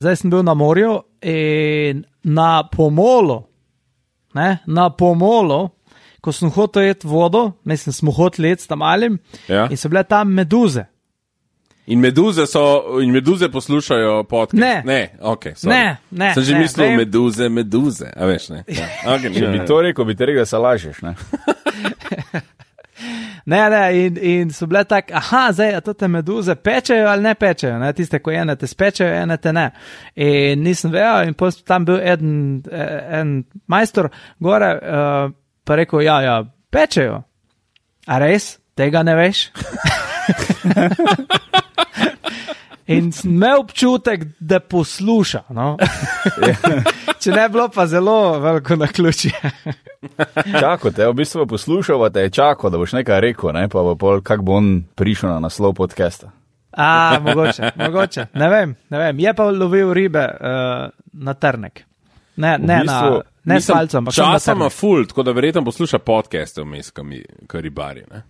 Zdaj sem bil na morju in na pomolu, ko sem hotel jeti vodo, mislim, smo hoteli jeti tam malim, in so bile tam meduze. In meduze poslušajo podcast? Ne, okej, sorry. Ne. Sem že mislil meduze, a veš, ne. Ja. Okay, če bi to rekel, bi te rekel, da se lažeš, ne. In so bile tak, zdaj, a to te meduze pečejo ali ne pečejo, ne, tiste, ko ene te spečejo, ene te ne. In nisem vedel, in potem tam bil en majstor gore, pa rekel, ja, pečejo. A res? Tega ne veš? In sem imel občutek, da posluša, no. Če ne bilo pa zelo veliko naključje. Čako te, v bistvu poslušal, te je čakal, da boš nekaj rekel, ne, pa kak bo on prišel na naslov podcasta. Mogoče, ne vem, je pa lovil ribe na trnek. Ne s palcem, ampak časa ima ful, tako da verjetno posluša podcaste vmes, ko ribari, ne.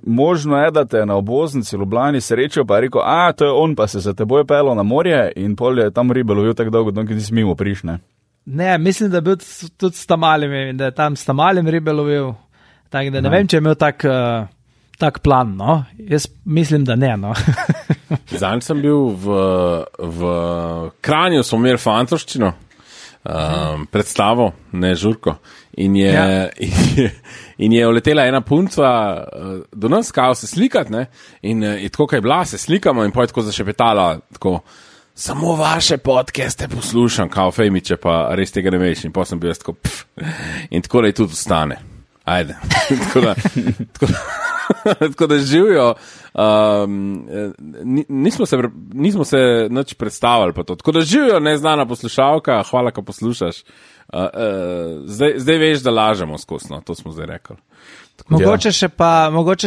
Možno je, da te na obvoznici v Ljubljani srečal, pa je rekel, to je on, pa se za teboj pelil na morje in pol je tam ribe lovil tako dolgo, dokaj nisi mimo prišne. Ne, mislim, da je bil tudi s tamalimi, da je tam s tamalim ribe lovil, tako da ne vem, če je imel tak plan, no. Jaz mislim, da ne, no. Zanj sem bil v Kranju, smo imeli fantoščino, predstavo, ne žurko, in je uletela ena punca do nas, kao se slikat, ne, in tako, kaj je bila, se slikamo in potem tako zašepetala, tako, samo vaše podcaste poslušam, kao Fejmiče, pa res tega ne veš, in potem sem bil jaz tako, in tako da je tudi ostane. Ajde. Tako da živijo, nismo se nič predstavili pa to. Tako da živijo neznana poslušalka, hvala, ko poslušaš. Zdaj veš, da lažemo skosno, to smo zdaj rekli. Mogoče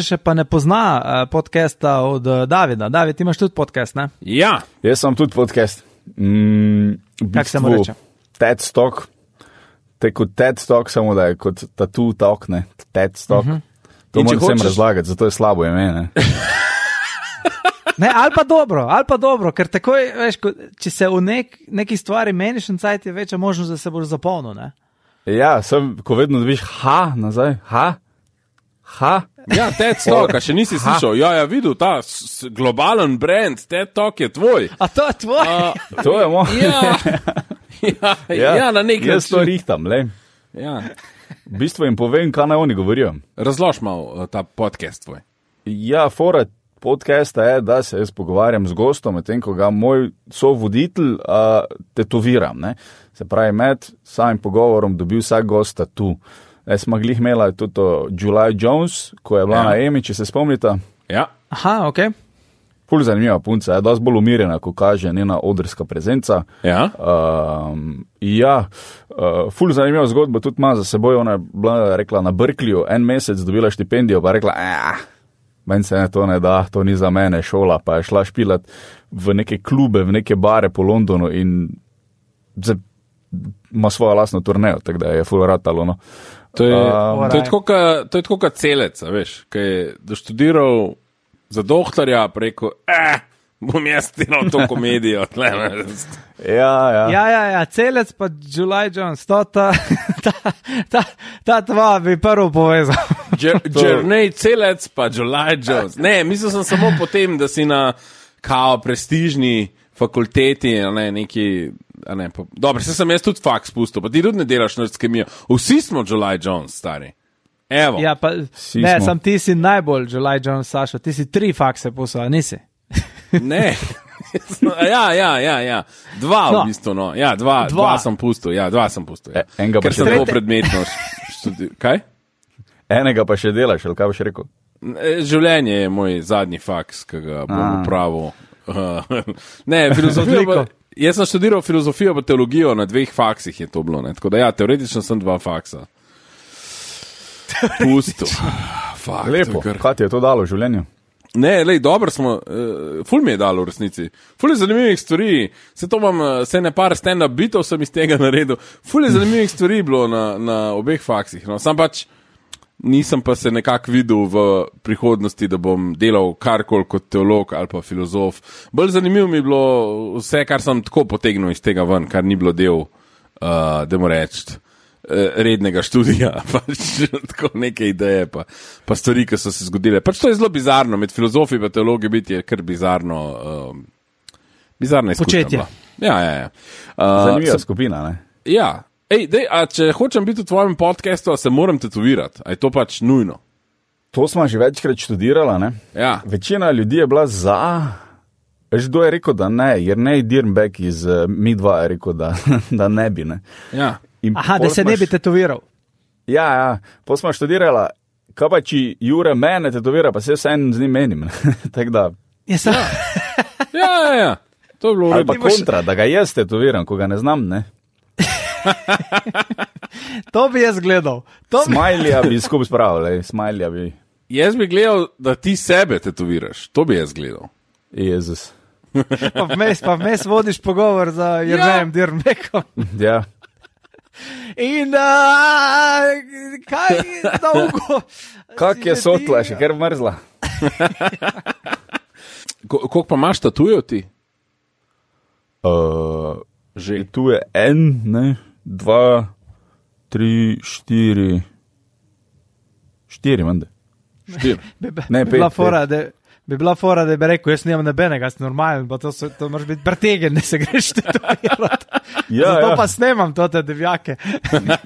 še pa ne pozna podcasta od Davida. David, ti imaš tudi podcast, ne? Ja. Jaz sem tudi podcast. Kak se mu reče? TED Talk. Te kot TED Talk, samo da je kot Tattoo Talk, ne? TED Talk. To moram vsem razlagati, zato je slabo ime, ne? Ne, ali pa dobro, ker takoj, veš, če se v neki stvari meniš in cajt je večja možnost, da se boš zapolnil, ne? Ja, ko vedno dobiš nazaj, Ja, TED Talk, a še nisi slišal. Ja, videl, ta globalen brand, TED Talk je tvoj. A to je tvoj? To je moj. Ja, na nek način. Jaz to rihtam, le. Ja. V bistvu jim povem, kaj naj oni govorijo. Razlož malo ta podcast tvoj. Ja, fora podcasta je, da se jaz pogovarjam z gostom, medtem ko ga moj sovoditelj tetoviram, ne. Se pravi, med samim pogovorom dobil vsak gost tatu. Jaz smo glih imela tudi to July Jones, ko je bila na Emi, če se spomnite. Ja. Aha, okej. Ful zanimiva punca, je dosti bolj umirjena, ko kaže njena odrska prezenca. Ja. Ful zanimiva zgodba tudi ima za seboj, ona je bila, rekla, na Berkeleyju, en mesec dobila štipendijo, pa rekla, meni se to ne da, to ni za mene šola, pa je šla špilat v neke klube, v neke bare po Londonu in ima svojo lastno turnejo, tako da je ful ratalo, no. To je tako kot celec, veš, ki je doštudiral za doktorja preko, bom jaz delal to komedijo. Ja, celec pa July Jones, ta dva bi prvo povezal. Journey celec pa July Jones. Ne, mislil sem samo potem, da si na kao prestižni fakulteti, dobro, se sem jaz tudi faks spustil, pa ti tudi ne delaš nič s kemijo. Vsi smo July Jones, stari. Evo. Ja, pa, ne, sam ti si najbolj July Jones, Sašo, ti si 3 fakse poslal, nisi? Ne. Ja. Dva v bistvu, no. Ja, dva sem pustil, ja. Enega ker sem zelo predmetno študiral. Kaj? Enega pa še delaš, ali kaj boš rekel? Življenje je moj zadnji faks, ki ga bom upravil. Ne, filozofijo. Jaz sem študiral filozofijo pa teologijo, na 2 faksih je to bilo, ne. Tako da ja, teoretično sem 2 faksa. Pustil. Lepo, kaj ti je to dalo v življenju? Ne, dobro smo, ful mi je dalo v resnici. Ful je zanimivih stvari, se ne par stand-up bitov sem iz tega naredil. Ful je zanimivih stvari bilo na obeh faksih, no. Sam pač, nisem pa se nekako videl v prihodnosti, da bom delal karkoli kot teolog ali pa filozof. Bolj zanimivo mi je bilo vse, kar sem tako potegnil iz tega ven, kar ni bilo del, da mu reči, rednega študija, pač tako neke ideje, pa stvari, ki so se zgodile. Pač to je zelo bizarno, med filozofi pa teologi biti je kar bizarna izkušnja. Početje. Ja. Zanimiva skupina, ne? Ja. A če hočem biti v tvojem podcastu, se moram tetovirati. A je to pač nujno? To smo že večkrat študirala, ne? Ja. Večina ljudi je bila za. Veš, kdo je rekel, da ne? Jernej Dirnbeck iz Mi2 je rekel, da ne bi, ne? Ja. Aha, da se ne bi tetoviral. Ja. Pol smo študirala, kaj pa či Jure mene tetovira, pa se vsem z njim menim. Tako da. Ja. To je bilo ali pa kontra, da ga jaz tetoviram, ko ga ne znam, ne? To bi jaz gledal. Smajlija bi skupaj spravil, smajlija bi. Jaz bi gledal, da ti sebe tetoviraš. To bi jaz gledal. Jezus. Pa vmes vodiš pogovor za Jernejem Dirnbeckom. Ja. In kaj dolgo? Kak je sotla, še ker mrzla. Koliko pa imaš tatujev ti? Že tu je 1, 2, 3, 4. 4, mende. 4. Ne, 5. Bi bila fora, da bi rekel, jaz nimam nebenega, jaz normalen, pa to moraš biti pretegen, da se greš tetovirati. Zato pa snemam to te devjake.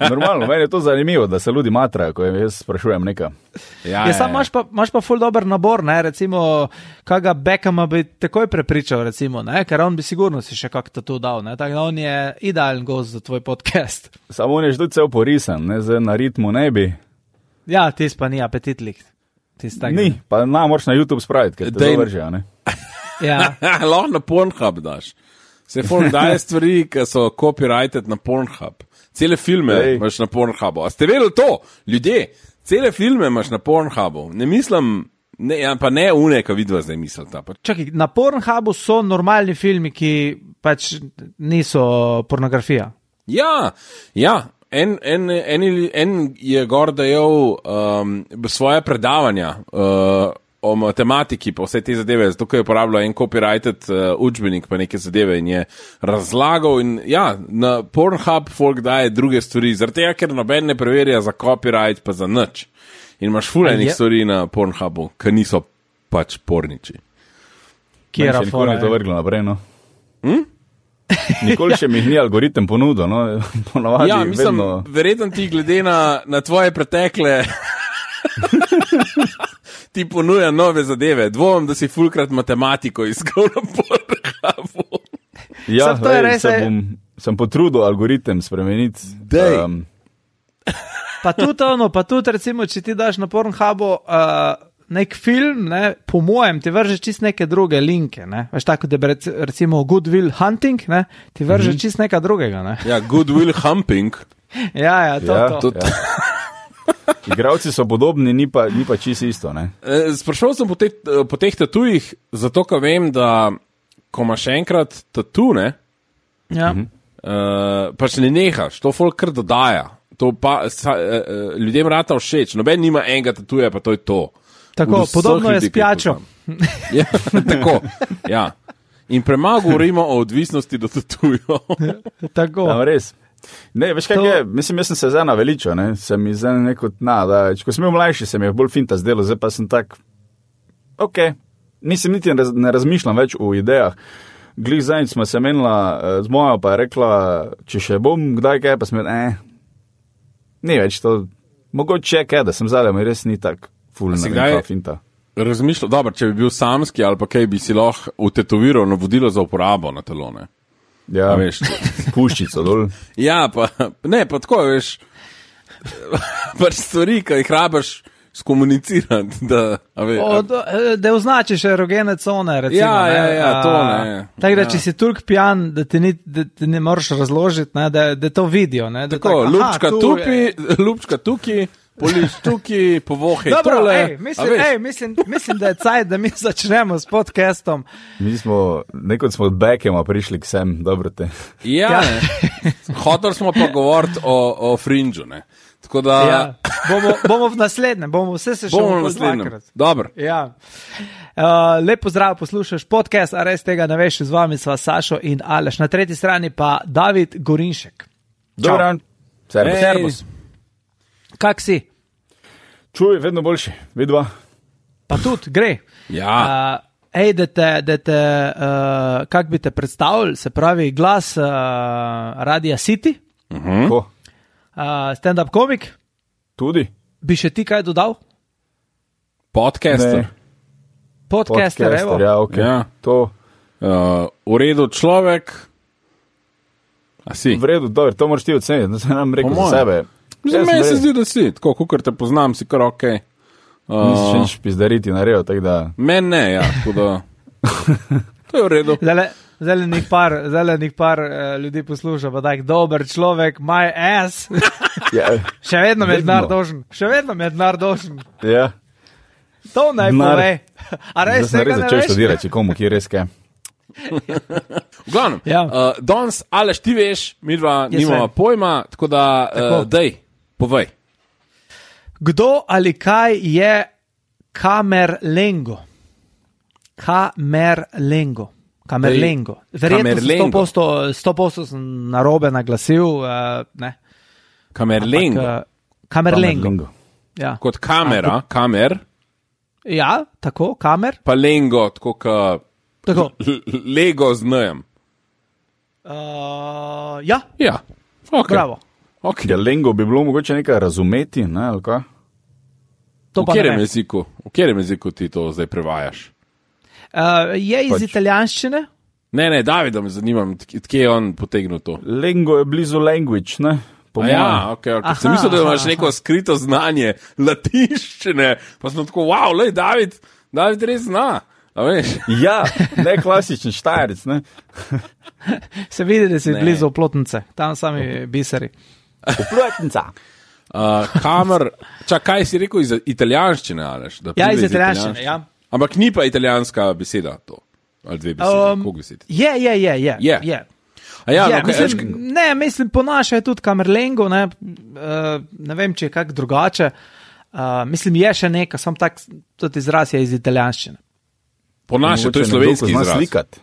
Normalno, meni je to zanimivo, da se ljudi matrajo, ko jaz sprašujem nekaj. Sam imaš pa ful dober nabor, ne, recimo, kaga Beckhama bi takoj prepričal, recimo, ne, ker on bi sigurno si še kak tatu dal, ne, tako da on je idealen gost za tvoj podcast. Samo on je že tudi cel porisan, ne, zdaj na ritmu ne bi. Ja, tis pa ni apetitlik. Ni, pa moraš na YouTube spraviti, ker te dovržijo, ne? Ja. Lahko na Pornhub daš. Se folk daje stvari, ki so copyrighted na Pornhub. Cele filme imaš na Pornhubu. A ste vedeli to? Ljudje, cele filme imaš na Pornhubu. Ne mislim, pa ne une, ko vidva zdaj mislita. Čakaj, na Pornhubu so normalni filmi, ki pač niso pornografija. Ja. En je gor dajal svoje predavanja o matematiki pa vse te zadeve, zato ker je uporabljal en copyrighted učbenik pa neke zadeve in je razlagal in ja, na Pornhub folk daje druge stvari, zaradi tega, ker noben ne preverja za copyright pa za nič. In imaš fulejnih stvari na Pornhubu, ki niso pač porniči. Kjera fora je? To vrglo naprej, no? Nikoli še mi ni algoritem ponudil, no, ponavadi ja, mislim, vedno. Verjetno ti glede na tvoje pretekle ti ponuja nove zadeve. Dvomim, da si fulkrat matematiko iskal na Pornhubu. Ja, sem potrudil algoritem spremeniti. Pa tudi recimo, če ti daš na Pornhubu nek film, ne, po mojem, ti vrže čist neke druge linke, ne, veš tako, da bi recimo Good Will Hunting, ne, ti vrže čist neka drugega, ne. Ja, Good Will Humping. Ja, to. Ja. Igravci so podobni, ni pa čist isto, ne. Sprašal sem po teh tatujih, zato, ker vem, da ko imaš enkrat tatu, ne, pač ne nehaš, to folk kar dodaja. To pa ljudem rata všeč, noben nima enega tatuja, pa to je to. Tako, podobno je s pijačo. Ja, tako, ja. In premalo govorimo o odvisnosti do tatujo. Tako. Ja, res. Ne, veš kaj je, mislim, jaz sem se zdaj naveličal, ne, sem mi zdaj neko, ko sem bil mlajši, se mi je bolj finta zdelo, zdaj pa sem tak, mislim, niti ne razmišljam več o idejah. Glih zadnjič smo se menila z mojo, pa je rekla, če še bom kdaj kaj, pa smo ni več to, mogoče je kaj, da sem zdaj, mi res ni tak fulna finta. Razmišljal, dobro, če bi bil samski ali pa kaj, bi si lahko utetoviral navodilo za uporabo na telo, ne? Ja, puščico dol. Ja, pa tako, veš, pač stvari, ki jih rabaš skomunicirati, da označiš erogene cone, recimo. Ja, to ne. Tako da, če si toliko pijan, da ti ne moraš razložiti, ne, da to vidijo, ne. Tako, lupčka tukaj, poliš tukaj, povohaj tole. Mislim, da je cajt, da mi začnemo s podcastom. Nekod smo od Beckhama prišli k sem, dobro te. Ja, hotel smo pa govoriti o Fringeu, ne. Tako da... Bomo v naslednjem, bomo vse se še dvakrat. Dobro. Ja. Lep pozdrav, poslušaš podcast, a res tega ne veš, z vami sva Sašo in Aleš. Na tretji strani pa David Gorinšek. Dobro, servus. Kak si? Čuj, vedno boljši, vidva. Pa tudi, gre. Ja. Kak bi te predstavili, se pravi glas Radia City, stand-up komik. Tudi. Bi še ti kaj dodal? Podcaster. Podcaster, evo. Ja, ok. Ja. To. V redu človek. A si? V redu, dobro, to moraš ti oceniti, da se nam rekel za sebe. Za meni se zdi, da si, tako, kukor te poznam, si kar okej. Nisi še nič pizdariti naredil, tako da... Men ne, ja, tako da... To je v redu. Zelenih par ljudi posluša, pa tak dober človek, my ass. Yeah. Še vedno me denar dožen. Ja. To naj pove. A res tega ne veš? Začel študirati, komu, ki je res kaj. V glavnem, ja. Danes, Aleš, ti veš, midva nimamo pojma, tako da, dej, povej. Kdo ali kaj je Camerlengo? Camerlengo. Verjetno 100% sem narobe naglasil. Ne. Camerlengo. Ja. Kot kamera, kamer. Ja, tako, kamer. Pa lengo, tako ka Lego z nojem. Ja. Ja, ok. Bravo. Okay. Ja, lengo bi bilo mogoče nekaj razumeti, ne, ali kaj? V katerem jeziku ti to zdaj prevajaš? Je iz italijanščine? Ne, Davida me zanima, kje je on potegnil to. Lengo je blizu language, ne? Ja, ok. Sem mislil, da imaš neko skrito znanje latinščine, pa sem tako, wow, lej, David res zna. Ja, ne klasičen Štajerec, ne? Se vidi, da si blizu Oplotnice, tam sami biseri. Oplotnica. Kaj si rekel iz italijanščine, Aleš? Ja, iz italijanščine, ja. Ampak ni pa italijanska beseda to, ali dve besedi, koliko besed? Je. Mislim, po naše je tudi Camerlengo, ne vem, če je kak drugače. Mislim, je še neka, sam tak, tudi izraz je iz italijanščine. Po naše, to je slovenski izraz. Slikat.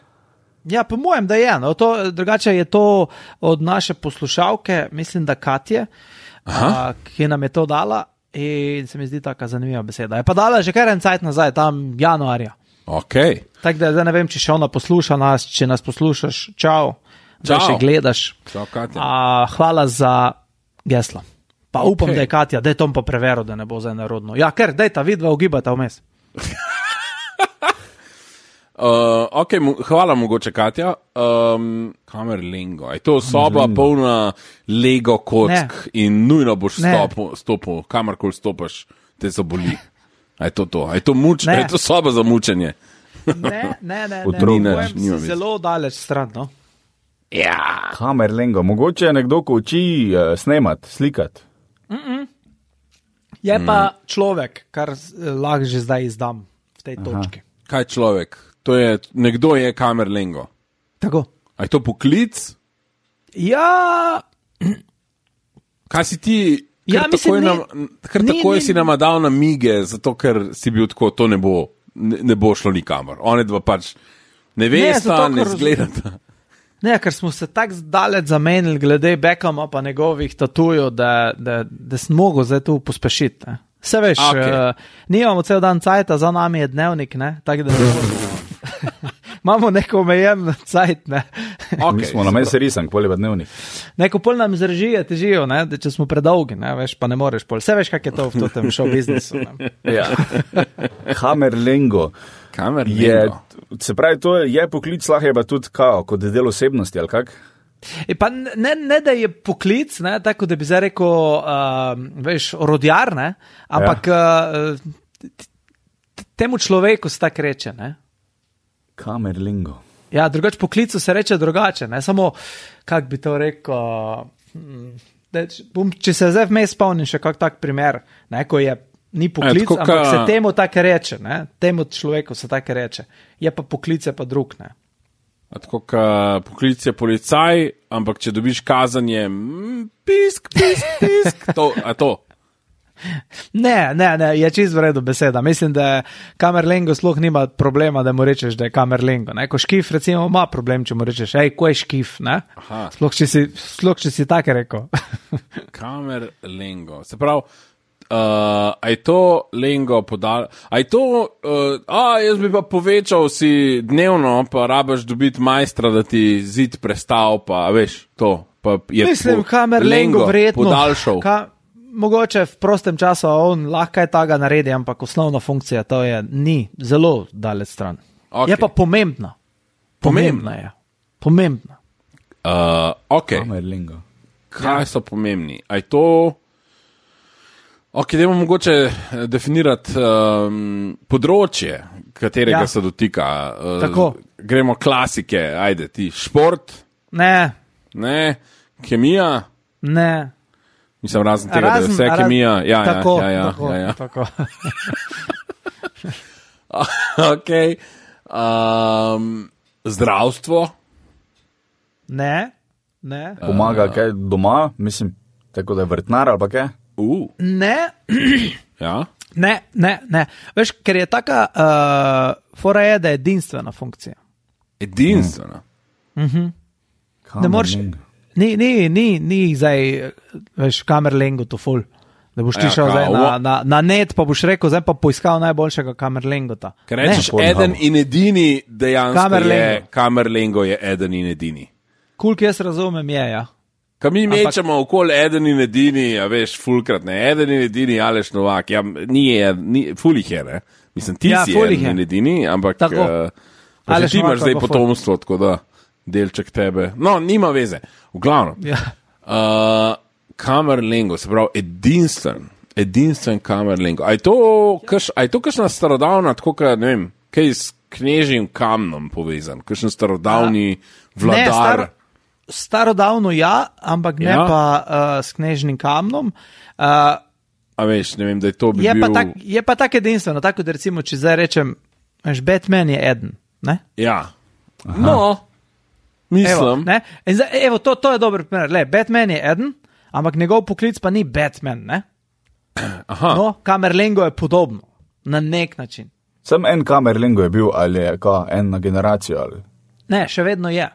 Ja, po mojem, da je. No. Drugače je to od naše poslušalke, mislim, da Katje, ki nam je to dala in se mi zdi taka zanimiva beseda. Je pa dala že kar en cajt nazaj, tam januarja. Ok. Tako da zdaj ne vem, če še ona posluša nas, če nas poslušaš, čau, da še gledaš. Čau, Katja. Hvala za geslo. Pa upam, da je Katja, daj tom pa preveril, da ne bo zdaj narodno. Ja, ker, daj ta vidva ugibata vmes. Ok, hvala mogoče, Katja. Camerlengo. Je to soba polna Lego kock in nujno boš stopil, kamarkoli stopaš, te zaboli. A je to to? A je to mučenje? Je to soba za mučenje? Ne. Zelo daleč stran, no? Ja. Camerlengo. Mogoče je nekdo, ko uči snemat, slikat. Je pa človek, kar lahko že zdaj izdam v tej točki. Kaj človek? Nekdo je Camerlengo. Tako. A je to poklic? Ja. Kaj si ti, takoj si nama dal namige, zato ker si bil tako, to ne bo šlo nikamor. One dva pač ne vesta, ne zgledata. Ne, ker smo se tako daleč zamenili glede Beckhama pa njegovih tatujev, da sem mogel zdaj tu pospešiti. Vse veš, nimamo cel dan cajta, za nami je dnevnik, ne, tako da imamo neko omejen cajt, ne. Mi smo na meni risank, pol je pa dnevnik. Neko pol nam zrežije težijo, ne, da če smo predolgi, ne, veš, pa ne moreš pol. Vse veš, kak je to v tem show biznisu. Ja. Camerlengo. Se pravi, to je poklic, lahko je pa tudi kot del osebnosti, ali kak? Pa ne, da je poklic, ne, tako da bi zdaj rekel, veš, orodjar, ne, ampak temu človeku se tako reče, ne. Camerlengo. Ja, drugače poklicu se reče drugače, ne, samo, kak bi to rekel, če se zdaj vmes spomnim še kak tak primer, ne, ko je ni poklic, ampak se temu tako reče, ne, temu človeku se tako reče, je pa poklic je pa drug, ne. Tako, poklic je policaj, ampak če dobiš kazanje, pisk, to. Ne, je čisto v redu beseda. Mislim, da Camerlengo sploh nima problema, da mu rečeš, da je Camerlengo. Ko škif recimo ima problem, če mu rečeš, ko je škif, ne? Sploh če si tako rekel. Camerlengo. Se pravi, a je to lengo podal, a je to, jaz bi pa povečal si dnevno, pa rabaš dobiti majstra, da ti zid prestal, pa veš, to. Pa je mislim, Camerlengo verjetno. Podaljšal. Mogoče v prostem času on lahko je taga naredi, ampak osnovna funkcija to ni zelo daleč stran. Okay. Je pa pomembna. Pomembna je. Pomembna. Ok. Camerlengo. Kaj so pomembni? A je to... Ok, dajmo mogoče definirati področje, katerega se dotika. Tako. Gremo klasike, ajde ti. Šport? Ne. Kemija? Ne. Mislim, razen tega, da je vse kemija. Tako. Ok. Zdravstvo? Ne. Pomaga kaj doma? Mislim, tako da je vrtnar ali pa kaj? Ne. Ja? Ne. Veš, ker je taka fora je, da je edinstvena funkcija. Edinstvena? Ne moreš... Ni zdaj, veš, Camerlengo to ful. Da boš ti šel na net, pa boš rekel, zdaj pa poiskal najboljšega Camerlengota. Ker rečeš eden in edini, dejansko Camerlengo je eden in edini. Koliko jaz razumem je, ja. Kaj mi mečemo okoli eden in edini, a veš, fulkrat, ne, eden in edini, Aleš Novak, ful jih je, ne. Mislim, ti si eden in edini, ampak pa ti imaš zdaj potomstvo, tako da. Delček tebe. No, nima veze. V glavnem. Camerlengo, se pravi, edinstven Camerlengo. A je to kakšna starodavna, tako ka, ne vem, kaj s knežjim kamnom povezan? Kakšen starodavni vladar? Ne, starodavno ampak ne pa s knežnim kamnom. A veš, ne vem, da je to bi bil... Je pa tak edinstveno, tako da recimo, če zdaj rečem, Batman je eden, ne? Ja. Aha. No, mislim. Evo, to je dober primer. Batman je eden, ampak njegov poklic pa ni Batman, ne? Aha. No, Camerlengo je podobno, na nek način. Sem en Camerlengo je bil, ali je en na generacijo, ali? Ne, še vedno je.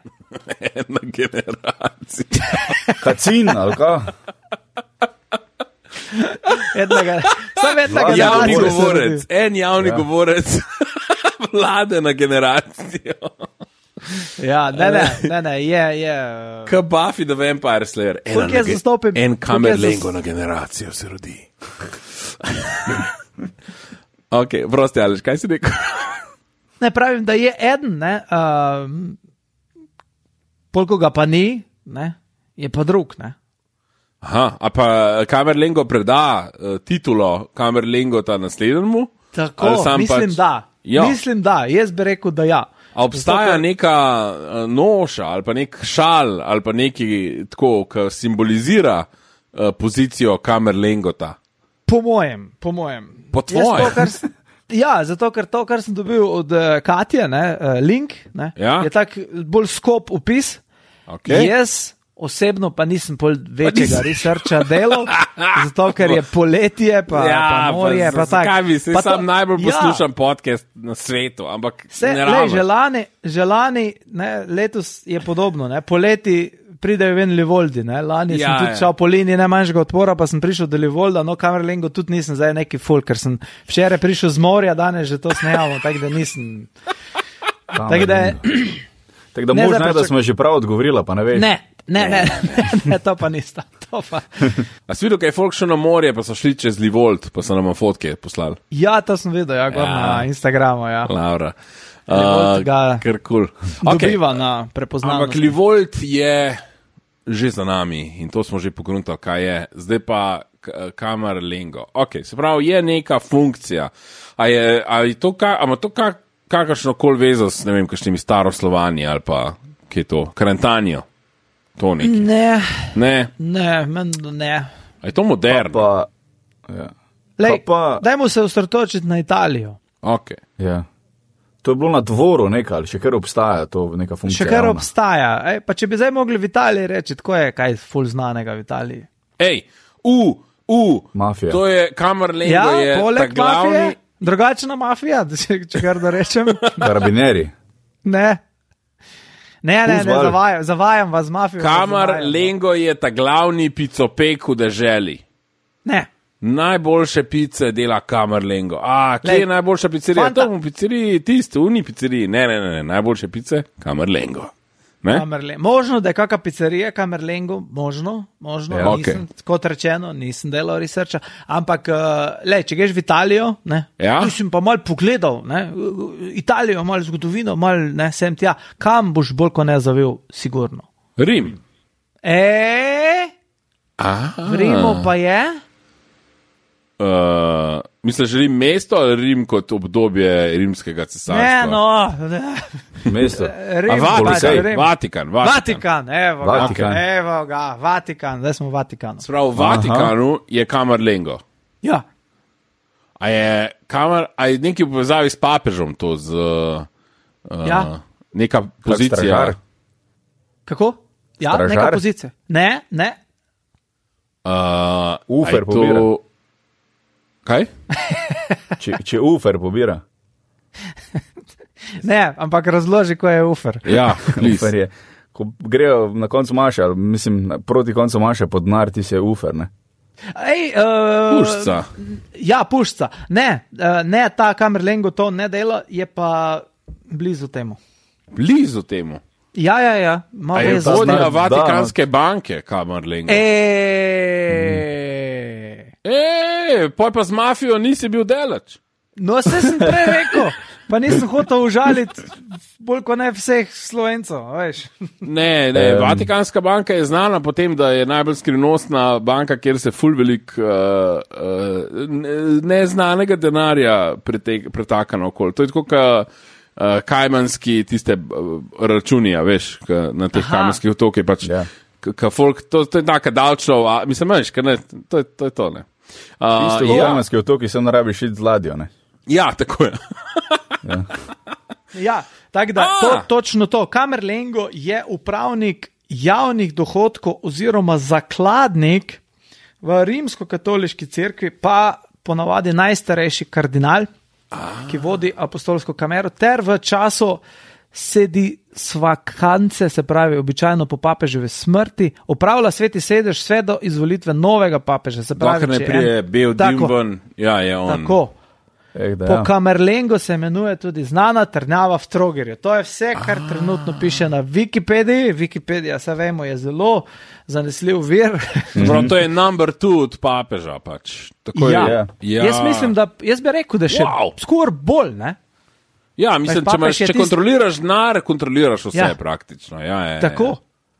En na generacijo. Kacin, ali ka? Javni govorec, en javni govorec vlade na generacijo. Ja, ne, je. Kaj Buffy the Vampire Slayer? En Camerlengo na generacijo se rodi. Ok, prosti, Aleš, kaj si rekel? Ne, pravim, da je eden, ne, polko ga pa ni, ne, je pa drug, ne. Aha, a pa Camerlengo preda titulo Camerlengota naslednjemu? Tako, mislim, da, jaz bi rekel, da ja. A obstaja neka noša ali pa nek šal ali pa neki tako, ki simbolizira pozicijo Camerlengota? Po mojem. Po tvojem? Zato, ker to, kar sem dobil od Katje, link, je tak bolj skop opis. Okay. Jaz osebno pa nisem pol večjega researcha delal, zato ker je poletje, pa morje, pa tako. Kaj bi, sam najbolj poslušam podcast na svetu, ampak ne rabiš. Želani, letos je podobno, poleti pridejo ven Livoldi, lani sem tudi šel po liniji najmanjšega odpora, pa sem prišel do Livolda, no Camerlengo tudi nisem zdaj neki ful, ker sem včeraj prišel z morja, danes že to snejamo, tako da nisem. Tako da možno je, da smo že prav odgovorila, pa ne veš. Ne, to pa nista. A si videl, kaj je folk šel na morje, pa so šli čez Livold, pa so nam fotke poslali? Ja, to sem videl, na Instagramu, ja. Laura. Ker cool. Dobiva na prepoznavnost. Ampak Livold je že za nami in to smo že pogruntali, kaj je. Zdaj pa Camerlengo. Ok, se pravi, je neka funkcija. A je to kakršno koli vezo s, ne vem, kakšnimi staroslovani ali pa, kaj je to, Karantanjo? To neki. Ne. A je to moderno? Dajmo se osredotočiti na Italijo. Ok. Ja. To je bilo na dvoru nekaj, ali še kar obstaja to neka funkcija? Še kar obstaja. Pa če bi zdaj mogli v Italiji reči, tako je kaj ful znanega v Italiji. Mafija. To je Camerlengo, Ja, je poleg glavni... mafije, drugačna mafija, če kar da rečem. Karabineri. Ne, zavajam vas z mafijo. Camerlengo je ta glavni picopek v deželi. Ne. Najboljše pice dela Camerlengo. Kje je najboljša pizzerija? To v pizzeriji, uni pizzeriji. Ne, najboljše pice Camerlengo. Možno, da je kakšna pizzerija Camerlengo, možno, Ja. nisem, kot rečeno, nisem delal researcha, ampak, če greš v Italijo, tu sem pa malo pogledal, Italijo, malo zgodovino, malo, sem tja, kam boš bolj ko ne zavil, sigurno. Rim. V Rimu pa je? Misliš, Rim mesto ali Rim kot obdobje rimskega cesarstva? Mesto. Vatikan. Vatikan, zdaj smo v Vatikanu. Sprav, v Vatikanu je Camerlengo. Ja. A je nekaj v povezavi s papežom to z neka pozicija? Kako? Ja, Stražar? neka pozicija. Ne. Ufer pobira. Kaj? Če Ufer pobira. Ne, ampak razloži, ko je Ufer. Ja, Ufer je. Ko grejo na koncu maša, proti koncu maša pod denar, ti si je Ufer, ne? Puščica. Ja, puščica. Ne, ta Camerlengo to ne dela, je pa blizu temu. Blizu temu? Ja. A je vodila Vatikanske banke, Camerlengo? Poj pa z mafijo nisi bil delač. No, se sem prej rekel, pa nisem hotel užaliti bolj kot ne vseh Slovencov, veš. Ne, Vatikanska banka je znana po tem, da je najbolj skrivnostna banka, kjer se ful velik neznanega denarja pretaka naokoli. To je tako, kajmanski tiste računi, veš, na teh kajmanskih otokih pač. Folk, to je taka davčov, mislim, veš, to je to, ne. Isto v kajmanski otoki se ne rabiš iti z ladjo, ne? Ja, tako je. Ja, tako da, točno to. Camerlengo je upravnik javnih dohodkov oziroma zakladnik v rimsko-katoliški cerkvi, pa ponavadi najstarejši kardinal, ki vodi apostolsko kamero, ter v času sedisvakance, se pravi običajno po papeževi smrti, upravlja sveti sedež vse do izvolitve novega papeža. Se pravi, dokler ne prije bil Dimban, je on. Tako. Po Camerlengo se imenuje tudi znana trdnjava v Trogirju. To je vse, kar trenutno piše na Wikipediji. Wikipedija, se vemo, je zelo zanesljiv vir. To je number 2 od papeža pač. Tako ja. Jaz mislim, da jaz bi rekel, da še skoraj bolj, ne? Ja, mislim, če kontroliraš denar, kontroliraš vse praktično. Tako.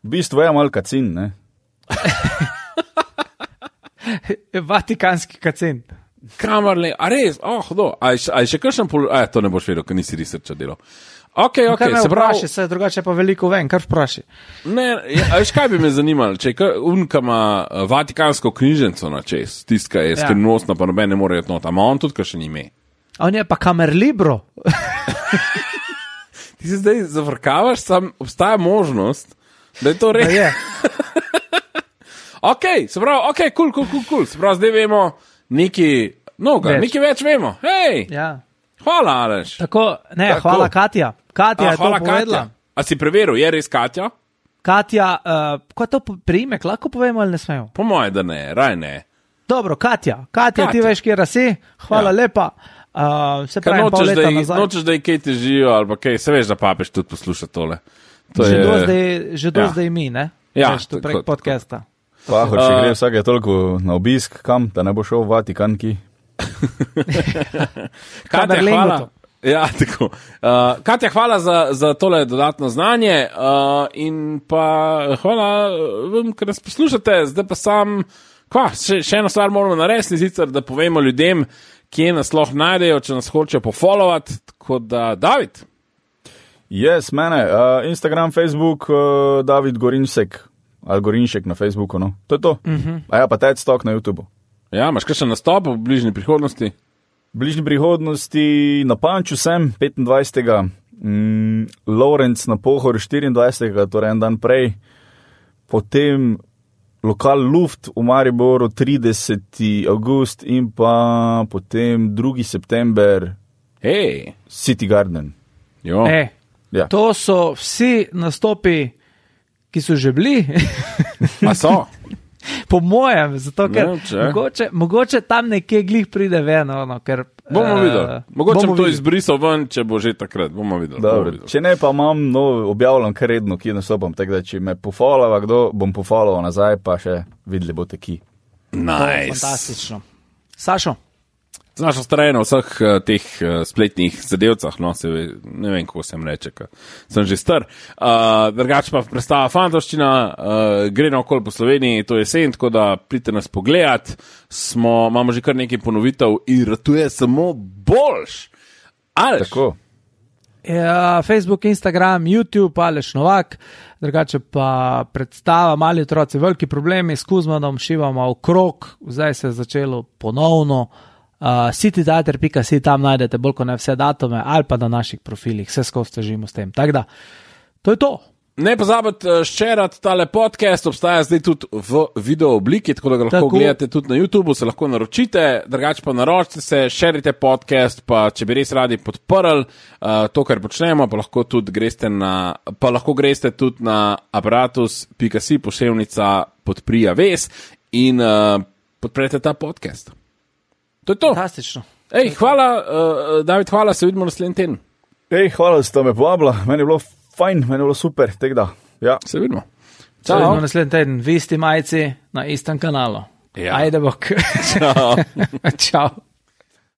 V bistvu je malo kacin, ne? Vatikanski kacin. Camerlengo, a res? A je še kakšen to ne boš vedel, ker nisi researcha delal. Ok, se pravi. Se drugače pa veliko vem, kar vpraši. Ne, veš kaj bi me zanimalo, če je unka ima vatikansko knjižnico na čez, tiska je skrivnostna, pa noben ne more jeti not, ama on tudi kakšen ime. On je pa Camerlibro. Ti se zdaj zavrkavaš, sam obstaja možnost, da je to res. Ok, se pravi, cool. Se pravi, zdaj vemo nekaj več vemo. Hej, hvala, Aleš. Tako. Hvala, Katja. Katja je to povedala. A si preveril, je res Katja? Katja, ko je to priimek, lahko povemo ali ne smemo? Po moje, da ne, raj ne. Dobro, Katja, ti veš, kje si, hvala lepa. Se pravi, nočeš, da je kaj težijo, ali pa kaj, se veš, da papež tudi posluša tole. Že do zdaj mi, ne? Ja, to prek podcasta. Pahor, če gre vsake toliko na obisk, kam, da ne bo šel v Vatikanki. Katja, hvala. Ja, tako. Katja, hvala za tole dodatno znanje in pa hvala vam, ker nas poslušate. Zdaj pa še eno stvar moramo narediti, sicer da povemo ljudem, kje nas lahko najdejo, če nas hočejo pofollowati, tako da, David. Yes, mene, Instagram, Facebook, David Gorinšek, ali Gorinšek na Facebooku, no. To je to. A ja, pa TED Talk na YouTubeu. Ja, imaš kakšen nastop v bližnji prihodnosti? V bližnji prihodnosti na Panču sem 25. Lorenc na Pohor 24. torej en dan prej. Potem lokal Luft v Mariboru 30. august in pa potem 2. september Hej, City Garden. jo. Ja. To so vsi nastopi, ki so že bili, A so? po mojem, zato ker Ne, mogoče tam nekje glih pride ven, ker Bomo videli. Mogoče bomo bom to videli. izbrisal ven, če bo že takrat. Bomo videli. Dobro, če ne, pa imam objavljam kar redno, ki nastopam, tako da če me pofolava kdo, bom pofoloval nazaj, pa še videli boste ki. Nice. Fantastično. Sašo, Z našo strano vseh teh spletnih zadevcah, no, ne vem, kako se jim reče, sem že star. Drugače pa predstava Fantovščina, gre naokoli po Sloveniji, to je jesen, tako da pridite nas pogledat. Imamo že kar nekaj ponovitev in ratuje samo boljš. Aleš? Tako. ja, Facebook, Instagram, YouTube, Aleš Novak, drugače pa predstava Mali otroci, veliki problemi, s Kuzmanom šivamo v krog, zdaj se je začelo ponovno. cityteater.si, tam najdete bolj kot ne vse datume ali pa na naših profilih, vse skozi težimo s tem. Tako da, to je to. Ne pozabite šerati tale podcast, obstaja zdaj tudi v video obliki, tako da ga lahko gledate tudi na YouTubeu, se lahko naročite, drugače pa naročite se, šerite podcast, pa če bi res radi podprli to, kar počnemo, pa lahko greste tudi na aparatus.si poševnica podprija ves in podprete ta podcast. To je to. Fantastično. Ej, hvala, David, hvala, se vidimo naslednji teden. Ej, hvala, da ste me povabila, meni je bilo fajn, meni je bilo super, tako da, ja. Se vidimo. Se vidimo naslednji teden, v isti majici, na istem kanalu. Ja. Ajde bok. Ciao. Čau.